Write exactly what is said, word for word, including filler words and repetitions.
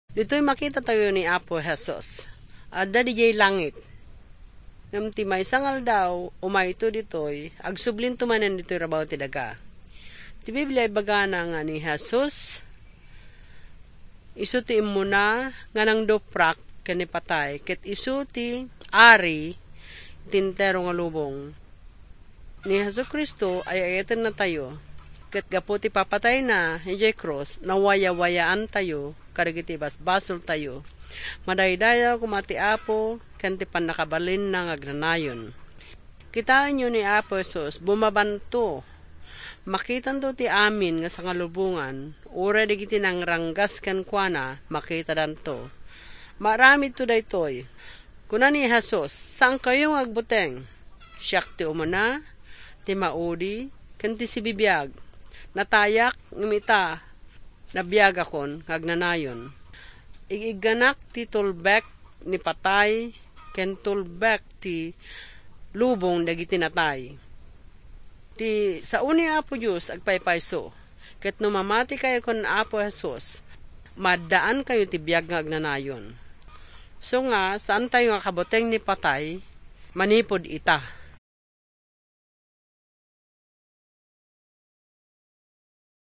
Ditoy makitatayo ni Apo Jesus. Adda didiay langit. Ngem ti maysa nga aldaw, umayto ditoy, agsublinto manen ditoy rabaw ti daga. Ti Biblia ibagana nga ni Jesus, isu ti immuna nga nangduprak ken ni patay, ket isu ti ari ti entero nga lubong. Ni Jesu-Cristo ay ayatennatayo, ket gapu ti papatayna idiay krus, nawayawayaantayo kadagiti basbasoltayo. Madaydayaw koma ti Apo ken ti pannakabalinna nga agnanayon. Kitaenyo ni Apo Jesus, bumabanto. Makitanto ti amin nga sangalubongan, uray dagiti nangranggas kenkuana, makitadanto. Maaramidto daytoy. Kuna ni Jesus, "Saankayo nga agbuteng. Siak ti umuna, ti maudi, ken ti sibibiag. Natayak, ngem ita, nabiagakon nga agnanayon. Ig-igganak ti tulbek ni patay, ken tulbek ti lubong dagiti natay." Ti sao ni Apo Dios agpaypayso, ket no mamatikayo ken Apo Jesus, maaddaankayo ti biag nga agnanayon. So nga, saantayo nga kabuteng ni patay manipud ita.